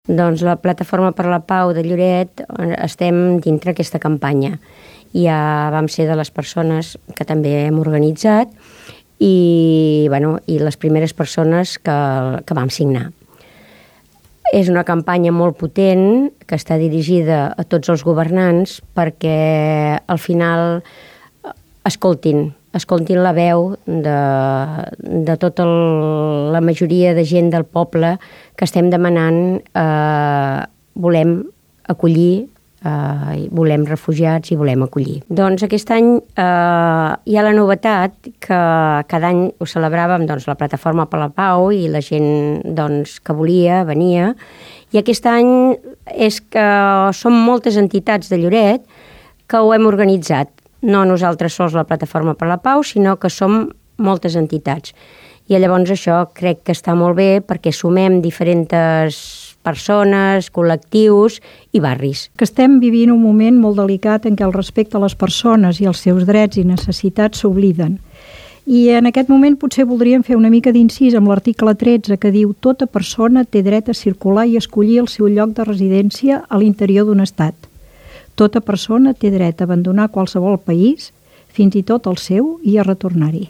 Doncs la Plataforma per la Pau de Lloret estem dintre aquesta campanya. Ja vam ser de les persones que també hem organitzat i les primeres persones que vam signar. És una campanya molt potent que està dirigida a tots els governants perquè al final escoltin la veu de tota la majoria de gent del poble que estem demanant volem acollir, volem refugiats i volem acollir. Doncs aquest any hi ha la novetat que cada any ho celebràvem la Plataforma per la Pau i la gent que volia venia, i aquest any és que som moltes entitats de Lloret que ho hem organitzat. No nosaltres sols la Plataforma per la Pau, sinó que som moltes entitats. I llavors això crec que està molt bé perquè sumem diferents persones, col·lectius i barris. Que estem vivint un moment molt delicat en què el respecte a les persones i els seus drets i necessitats s'obliden. I en aquest moment potser voldríem fer una mica d'incís amb l'article 13 que diu «Tota persona té dret a circular i escollir el seu lloc de residència a l'interior d'un estat. Tota persona té dret a abandonar qualsevol país, fins i tot el seu, i a retornar-hi».